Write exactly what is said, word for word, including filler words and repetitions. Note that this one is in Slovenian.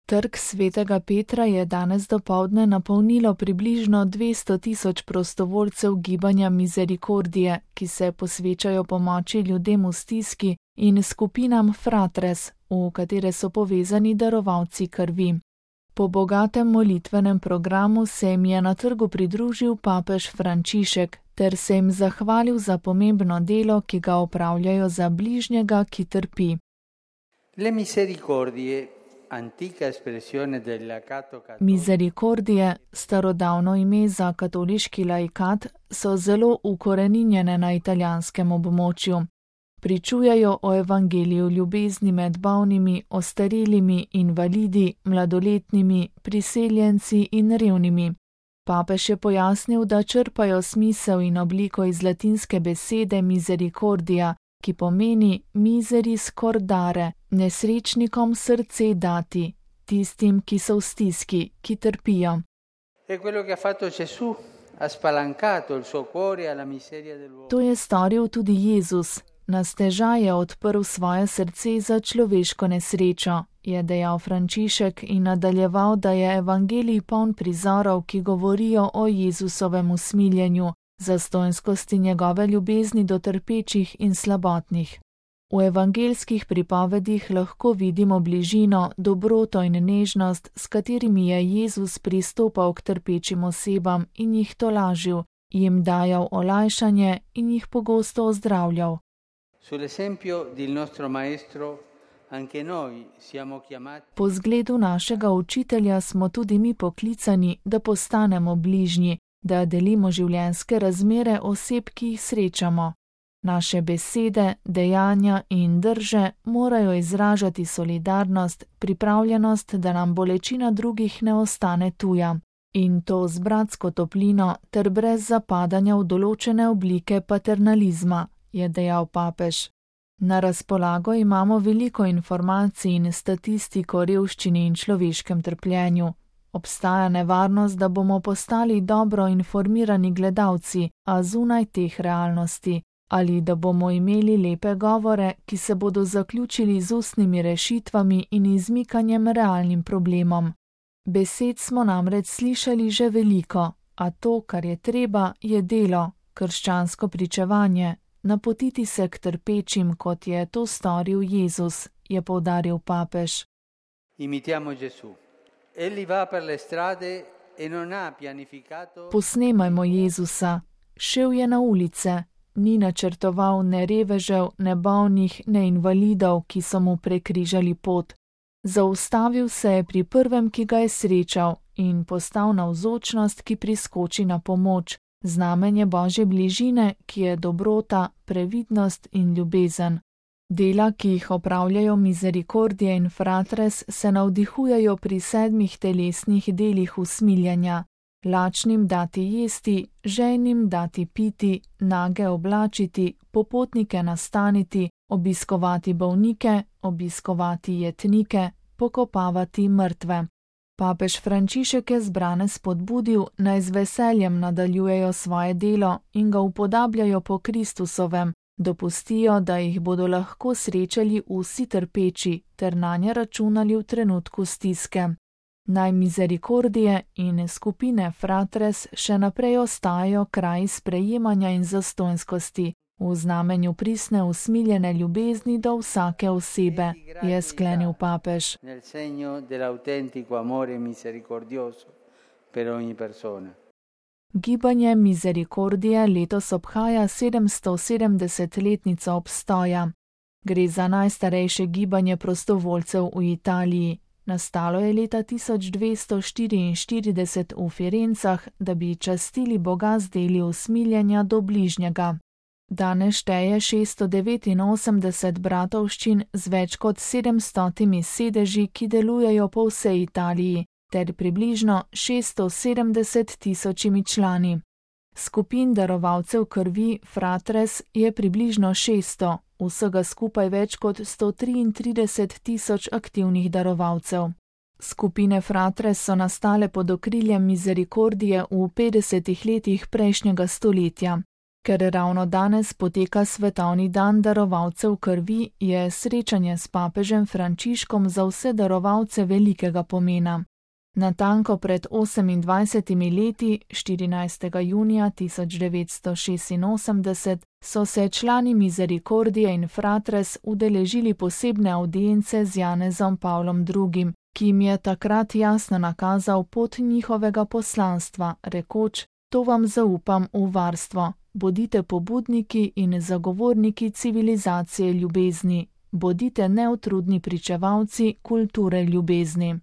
Trg svetega Petra je danes dopoldne napolnilo približno dvesto tisoč prostovoljcev gibanja Misericordie, ki se posvečajo pomoči ljudem v stiski, in skupinam Fratres, v katere so povezani darovalci krvi. Po bogatem molitvenem programu se jim je na trgu pridružil papež Frančišek ter se jim zahvalil za pomembno delo, ki ga opravljajo za bližnjega, ki trpi. Le misericordie, antica espressione dell'acato cattolico. Misericordie, starodavno ime za katoliški laikat, so zelo ukoreninjene na italijanskem območju. Pričujejo o evangeliju ljubezni med bolnimi, ostarelimi, invalidi, mladoletnimi, priseljenci in revnimi. Papež je pojasnil, da črpajo smisel in obliko iz latinske besede misericordia, ki pomeni miseris cordare, nesrečnikom srce dati, tistim, ki so v stiski, ki trpijo. To je storil tudi Jezus. Na stežaj je odprl svoje srce za človeško nesrečo, je dejal Frančišek in nadaljeval, da je evangelij poln prizorov, ki govorijo o Jezusovem usmiljenju, zastonjskosti njegove ljubezni do trpečih in slabotnih. V evangelskih pripovedih lahko vidimo bližino, dobroto in nežnost, s katerimi je Jezus pristopal k trpečim osebam in jih tolažil, jim dajal olajšanje in jih pogosto ozdravljal. Po zgledu našega učitelja smo tudi mi poklicani, da postanemo bližnji, da delimo življenjske razmere oseb, ki jih srečamo. Naše besede, dejanja in drže morajo izražati solidarnost, pripravljenost, da nam bolečina drugih ne ostane tuja. In to z bratsko toplino ter brez zapadanja v določene oblike paternalizma, je dejal papež. Na razpolago imamo veliko informacij in statistiko o revščini in človeškem trpljenju. Obstaja nevarnost, da bomo postali dobro informirani gledalci, a zunaj teh realnosti, ali da bomo imeli lepe govore, ki se bodo zaključili z ustnimi rešitvami in izmikanjem realnim problemom. Besed smo namreč slišali že veliko, a to, kar je treba, je delo, krščansko pričevanje, napotiti se k trpečim, kot je to storil Jezus, je poudaril papež. Imitiamo Gesù. Egli va per le strade e non ha pianificato. Posnemajmo Jezusa. Šel je na ulice, ni načrtoval ne revežev, ne bolnih, ne invalidov, ki so mu prekrižali pot. Zaustavil se je pri prvem, ki ga je srečal, in postal navzočnost, ki priskoči na pomoč, znamenje Božje bližine, ki je dobrota, previdnost in ljubezen. Dela, ki jih opravljajo Misericordie in Fratres, se navdihujejo pri sedmih telesnih delih usmiljenja. Lačnim dati jesti, žejnim dati piti, nage oblačiti, popotnike nastaniti, obiskovati bolnike, obiskovati jetnike, pokopavati mrtve. Papež Frančišek je zbrane spodbudil, naj z veseljem nadaljujejo svoje delo in ga upodabljajo po Kristusovem, dopustijo, da jih bodo lahko srečali vsi trpeči ter nanje računali v trenutku stiske. Naj Misericordie in skupine Fratres še naprej ostajajo kraj sprejemanja in zastonjskosti, v znamenju pristne usmiljene ljubezni do vsake osebe, je sklenil papež. Gibanje Misericordie letos obhaja sedemstosedemdesetletnico obstoja. Gre za najstarejše gibanje prostovoljcev v Italiji. Nastalo je leta tisoč dvesto štiriinštirideset v Firencah, da bi častili Boga z deli usmiljenja do bližnjega. Danes šteje šeststo devetinosemdeset bratovščin z več kot sedemstotimi sedeži, ki delujejo po vsej Italiji, ter približno šeststo sedemdeset tisočimi člani. Skupin darovalcev krvi Fratres je približno šeststo, vsega skupaj več kot sto triintrideset tisoč aktivnih darovalcev. Skupine Fratres so nastale pod okriljem Misericordie v petdesetih letih prejšnjega stoletja. Ker ravno danes poteka svetovni dan darovalcev krvi, je srečanje s papežem Frančiškom za vse darovalce velikega pomena. Natanko pred osemindvajsetimi leti, štirinajstega junija tisoč devetsto šestinosemdeset, so se člani Misericordie in Fratres udeležili posebne avdience z Janezom Pavlom drugim, ki jim je takrat jasno nakazal pot njihovega poslanstva, rekoč: to vam zaupam v varstvo, bodite pobudniki in zagovorniki civilizacije ljubezni, bodite neutrudni pričevalci kulture ljubezni.